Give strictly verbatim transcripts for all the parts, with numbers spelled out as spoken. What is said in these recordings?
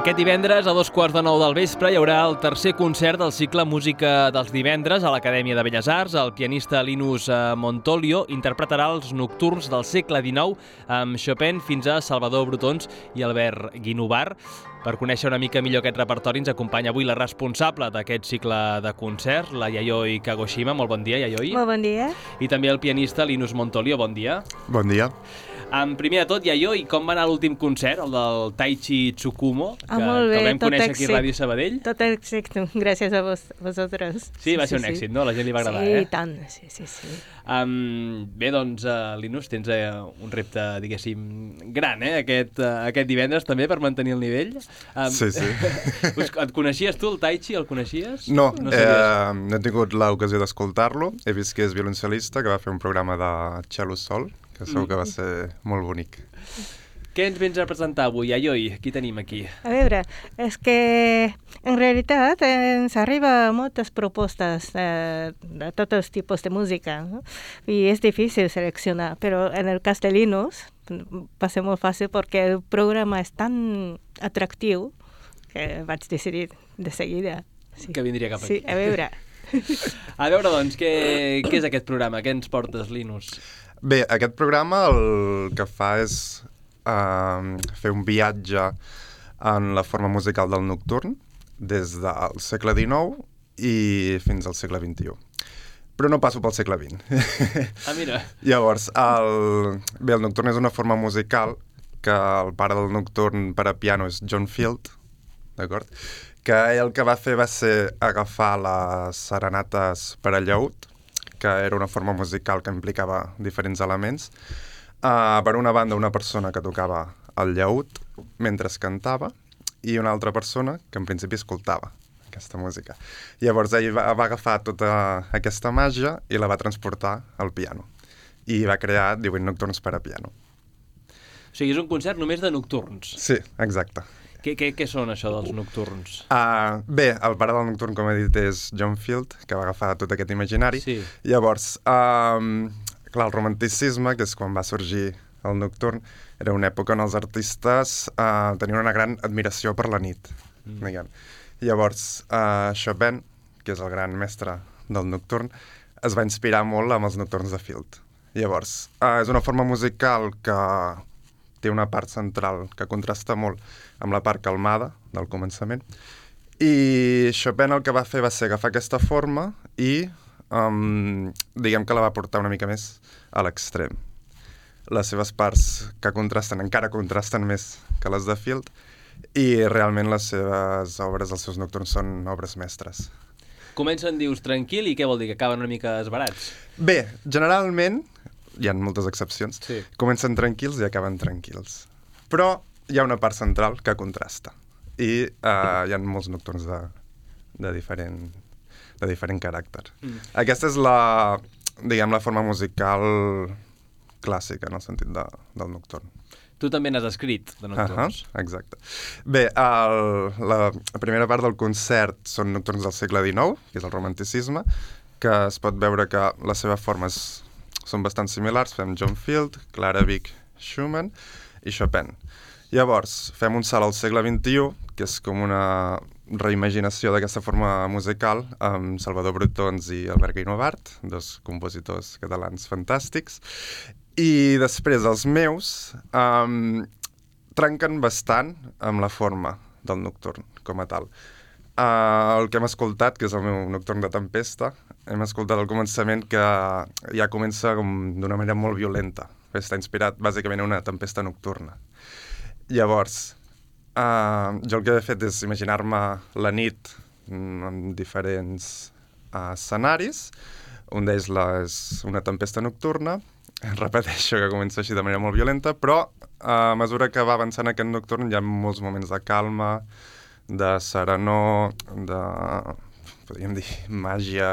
Aquest divendres, a dos quarts de nou del vespre, hi haurà el tercer concert del cicle Música dels divendres a l'Acadèmia de Belles Arts. El pianista Linus Montolio interpretarà els nocturns del segle dinou amb Chopin fins a Salvador Brotons i Albert Guinovart. Per conèixer una mica millor aquest repertori ens acompanya avui la responsable d'aquest cicle de concerts, la Yayoi Kagoshima. Molt bon dia, Yayoi. Molt bon dia. I també el pianista Linus Montolio. Bon dia. Bon dia. Um, primer de tot, Yayoi, com va anar l'últim concert, el del Taichi Tsukumo, que, ah, molt bé, que el vam tot conèixer èxit. aquí a Ràdio Sabadell? Tot èxit, gràcies a vos, vosaltres. Sí, va ser un sí, èxit, sí. no? A la gent li va agradar, sí, eh? Sí, tant, sí, sí, sí. Um, bé, doncs, uh, Linus, tens uh, un repte, diguéssim, gran, eh? Aquest, uh, aquest divendres també, per mantenir el nivell. Um, sí, sí. Et coneixies tu, el Taichi? El coneixies? No, no, eh, no he tingut l'ocasió d'escoltar-lo. He vist que és violoncel·lista, que va fer un programa de cello sol, que segur que va ser molt bonic. Què ens vens a presentar avui, Yayoi? Qui tenim aquí? A veure, és que en realitat ens arriba moltes propostes eh, de tots els tipus de música, no? I és difícil seleccionar, però en el cas de Linus va ser molt fàcil perquè el programa és tan atractiu que vaig decidir de seguida. Sí. Que vindria cap aquí. Sí, a veure. A veure, doncs, què, què és aquest programa? Què ens portes, Linus? Bé, aquest programa el que fa és uh, fer un viatge en la forma musical del nocturn des del segle dinou i fins al segle vint-i-u. Però no passo pel segle vint. Ah, mira. Llavors, el... bé, el nocturn és una forma musical que el pare del nocturn per a piano és John Field, d'acord? Que ell el que va fer va ser agafar les serenates per a llaüt, que era una forma musical que implicava diferents elements. Uh, per una banda, una persona que tocava el llaüt mentre es cantava i una altra persona que en principi escoltava aquesta música. Llavors ell va, va agafar tota aquesta màgia i la va transportar al piano. I va crear divuit nocturns per a piano. O sigui, és un concert només de nocturns. Sí, exacte. Què, què, què són això dels nocturns? Uh, bé, el pare del nocturn, com he dit, és John Field, que va agafar tot aquest imaginari. Sí. Llavors, um, clar, el romanticisme, que és quan va sorgir el nocturn, era una època on els artistes uh, tenien una gran admiració per la nit. Mm. Diguem. Llavors, uh, Chopin, que és el gran mestre del nocturn, es va inspirar molt amb els nocturns de Field. Llavors, uh, és una forma musical que té una part central que contrasta molt amb la part calmada del començament. I Chopin el que va fer va ser agafar aquesta forma i um, diguem que la va portar una mica més a l'extrem. Les seves parts que contrasten encara contrasten més que les de Field i realment les seves obres, els seus nocturns, són obres mestres. Comencen, dius, tranquil, i què vol dir? Que acaben una mica esbarats? Bé, generalment, hi ha moltes excepcions, sí. Comencen tranquils i acaben tranquils. Però hi ha una part central que contrasta. I uh, hi ha molts nocturns de, de, diferent, de diferent caràcter. Mm. Aquesta és la, diguem, la forma musical clàssica, en el sentit de, del nocturn. Tu també n'has escrit, de nocturns. Uh-huh, exacte. Bé, el, la, la primera part del concert són nocturns del segle dinou, que és el romanticisme, que es pot veure que les seves formes són bastant similars. Fem John Field, Clara Wieck, Schumann i Chopin. Llavors, fem un salt al segle vint-i-u, que és com una reimaginació d'aquesta forma musical, amb Salvador Brotons i Albert Guinovart, dos compositors catalans fantàstics. I després els meus um, trenquen bastant amb la forma del nocturn, com a tal. Uh, el que hem escoltat, que és el meu nocturn de tempesta, hem escoltat al començament que ja comença d'una manera molt violenta. Està inspirat bàsicament en una tempesta nocturna. Llavors, uh, jo el que he fet és imaginar-me la nit en diferents uh, escenaris. Un d'ells és una tempesta nocturna. Repeteixo que comença així de manera molt violenta, però a mesura que va avançant aquest nocturn hi ha molts moments de calma, de serenor, de, podríem dir, màgia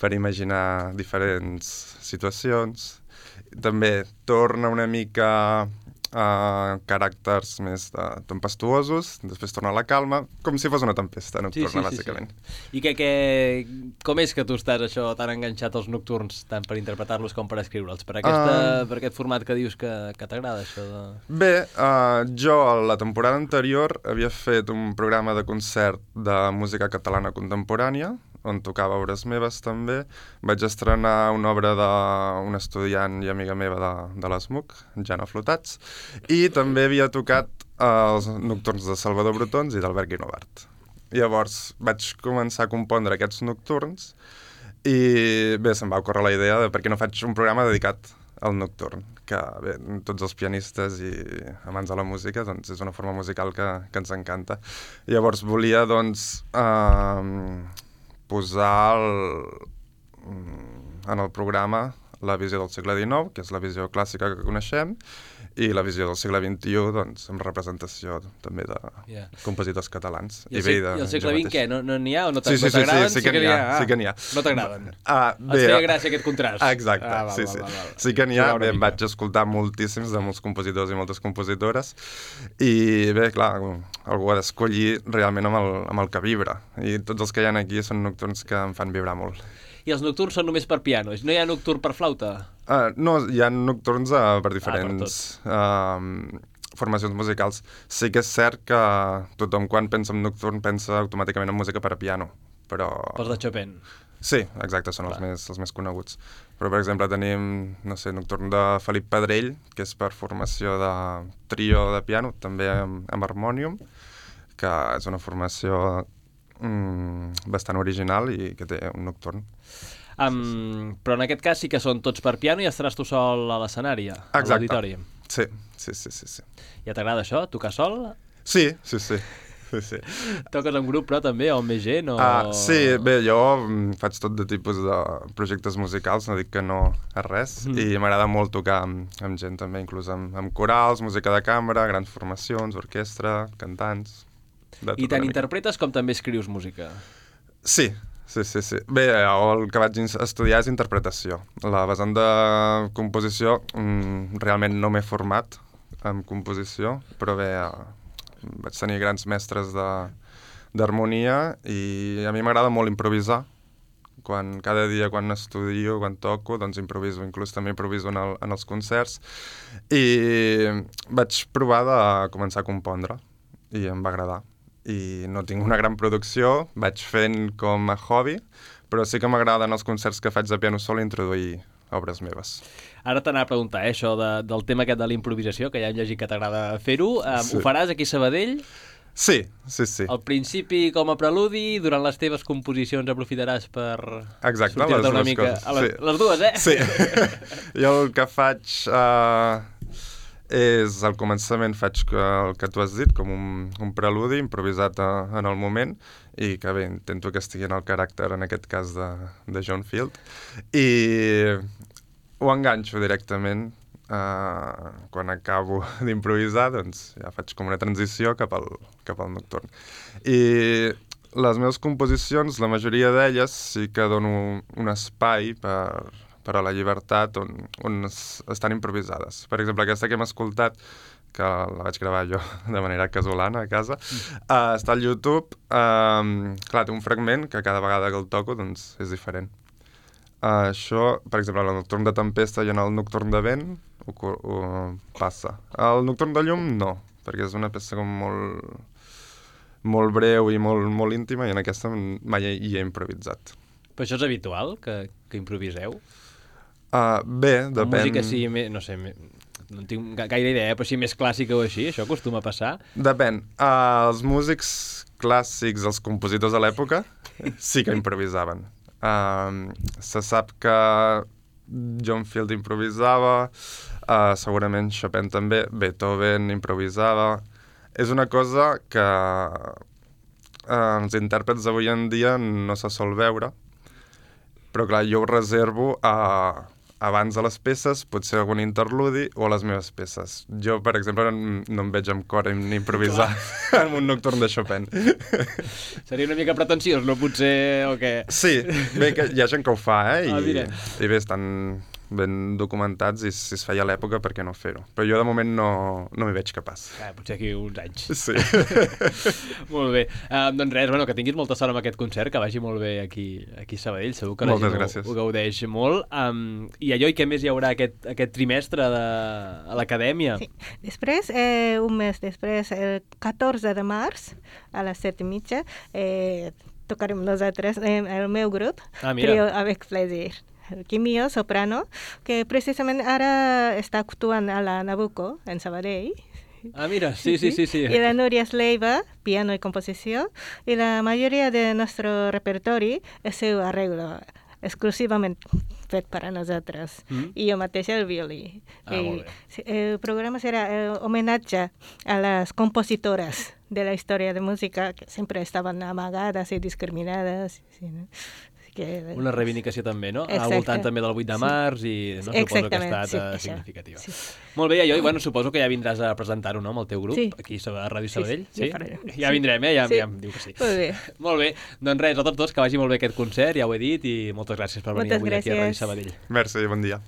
per imaginar diferents situacions. També torna una mica uh, caràcters més de, tempestuosos, després torna a la calma, com si fos una tempesta nocturna, sí, sí, bàsicament. Sí, sí. I que, que, com és que tu estàs això tan enganxat als nocturns, tant per interpretar-los com per escriure'ls? Per, aquesta, uh... per aquest format que dius que, que t'agrada, això de... Bé, uh, jo a la temporada anterior havia fet un programa de concert de música catalana contemporània, on tocava obres meves també. Vaig estrenar una obra d'un estudiant i amiga meva de, de l'ESMUC, Jana Flotats, i també havia tocat els nocturns de Salvador Brotons i d'Albert Guinovart. Llavors vaig començar a compondre aquests nocturns i bé, se'm va ocórrer la idea de per què no faig un programa dedicat al nocturn, que bé, tots els pianistes i amants de la música, doncs és una forma musical que, que ens encanta. Llavors volia, doncs, eh, posar el, en el programa la visió del segle dinou, que és la visió clàssica que coneixem, i la visió del segle vint-i-u, doncs, amb representació també de yeah. compositors catalans. I el, I de, I el segle vint què? No n'hi ha o no t'agraden? Sí, sí, sí, sí, sí que n'hi ha. Ah, sí que n'hi ha. No t'agraden? Ah, bé, et feia gràcia aquest contrast? Ah, exacte, ah, val, sí, val, sí. Val, val. Sí que n'hi ha, bé, em vaig escoltar moltíssims de molts compositors i moltes compositores, i bé, clar, algú ha d'escollir realment amb el, amb el que vibra, i tots els que hi ha aquí són nocturns que em fan vibrar molt. I els nocturns són només per piano? No hi ha nocturn per flauta? Uh, no, hi ha nocturns uh, per diferents ah, per uh, formacions musicals. Sí que és cert que tothom quan pensa en nocturn pensa automàticament en música per a piano, però... Pels de Chopin? Sí, exacte, són els més, els més coneguts. Però, per exemple, tenim, no sé, nocturn de Felip Pedrell, que és per formació de trio de piano, també amb, amb harmònium, que és una formació mm, bastant original i que té un nocturn. Um, però en aquest cas sí que són tots per piano i estaràs tu sol a l'escenari, a l'auditori. Sí, sí, sí, sí, sí. Ja t'agrada això, tocar sol? Sí, sí, sí. sí, sí. Toques en grup, però també, o amb més gent? O... Uh, sí, bé, jo faig tot de tipus de projectes musicals, no dic que no a res, mm. i m'agrada molt tocar amb, amb gent també, inclús amb, amb corals, música de cambra, grans formacions, orquestra, cantants... I tant interpretes com també escrius música? Sí, Sí, sí, sí. Bé, el que vaig estudiar és interpretació. La vessant de composició mm, realment no m'he format en composició, però bé, eh, vaig tenir grans mestres d'harmonia i a mi m'agrada molt improvisar. Quan, cada dia quan estudio, quan toco, doncs improviso, inclús també improviso en, el, en els concerts. I vaig provar de començar a compondre i em va agradar. I no tinc una gran producció, vaig fent com a hobby, però sí que m'agrada en els concerts que faig de piano sol introduir obres meves. Ara t'anava a preguntar, eh, això de, del tema aquest de la improvisació, que ja hem llegit que t'agrada fer-ho. Um, sí. Ho faràs aquí a Sabadell? Sí, sí, sí. Al principi com a preludi, durant les teves composicions aprofitaràs per Exacte, sortir-te una les mica... Coses. A les, sí. les dues, eh? Sí. Jo el que faig... Uh... és al començament faig el que tu has dit, com un, un preludi improvisat a, en el moment, i que bé, intento que estigui en el caràcter, en aquest cas, de, de John Field, i ho enganxo directament. Uh, quan acabo d'improvisar, doncs ja faig com una transició cap al, cap al nocturn. I les meves composicions, la majoria d'elles, sí que dono un espai per... per a la llibertat on, on es, estan improvisades. Per exemple, aquesta que hem escoltat, que la vaig gravar jo de manera casolana a casa, uh, està al YouTube. Uh, clar, té un fragment que cada vegada que el toco doncs, és diferent. Uh, això, per exemple, en el nocturn de tempesta i en el nocturn de vent ho, ho passa. El nocturn de llum no, perquè és una peça com molt, molt breu i molt, molt íntima, i en aquesta mai hi he improvisat. Però això és habitual, que, que improviseu? Uh, bé, depèn... La música sí, no sé, no en tinc gaire idea, però si més clàssica o així, això acostuma a passar? Depèn. Uh, els músics clàssics, els compositors de l'època, sí que improvisaven. Uh, se sap que John Field improvisava, uh, segurament Chopin també, Beethoven improvisava. És una cosa que uh, els intèrprets d'avui en dia no se sol veure, però clar, jo ho reservo a... abans de les peces, potser algun interludi o a les meves peces. Jo, per exemple, no, no em veig amb cor en improvisar en un nocturn de Chopin. Seria una mica pretensiós, no? Potser, o què? Sí, bé, que hi ha gent que ho fa, eh? I, ah, i bé, estan ben documentats, i si es feia a l'època, per què no fer-ho? Però jo de moment no, no m'hi veig capaç. Ah, potser aquí uns anys. Sí. Molt bé. Uh, doncs res, bueno, que tinguis molta sort amb aquest concert, que vagi molt bé aquí, aquí a Sabadell, segur que la Moltes gent gràcies. ho, ho gaudeix molt. Um, I allò, i què més hi haurà aquest, aquest trimestre de, a l'acadèmia? Sí. Després, eh, un mes després, el catorze de març, a les set i mitja, eh, tocarem nosaltres, eh, el meu grup, Ah, mira. Trio Avec Plaisir. El Quimio, soprano, que precisament ara està actuant a la Nabucco, en Sabadell. Ah, mira, sí, sí, sí. sí. Y la Nuria Sleiva, piano y composición. Y la mayoría de nuestro repertorio es su arreglo, exclusivamente fet para nosotros. Mm. Y yo mateixa el violí. Ah, Y molt bé. sí, el programa será el homenaje a las compositoras de la historia de música que siempre estaban amagadas y discriminadas. Sí, ¿no? Así que, Una reivindicació també, no? Al Exacte. voltant també del vuit de Sí. març i no, suposo que ha Exactament, estat sí, eh, això. significativa. Sí. Molt bé, i allò, i bueno, suposo que ja vindràs a presentar-ho, no?, amb el teu grup, Sí. aquí a Ràdio Sí, Sabadell. sí, ja farem. Ja Sí. vindrem, eh? Ja, Sí. ja em diu que sí. Molt bé. Molt bé, doncs res, a tots dos, que vagi molt bé aquest concert, ja ho he dit, i moltes gràcies per venir Moltes avui aquí a Ràdio gràcies. Sabadell. Merci, bon dia.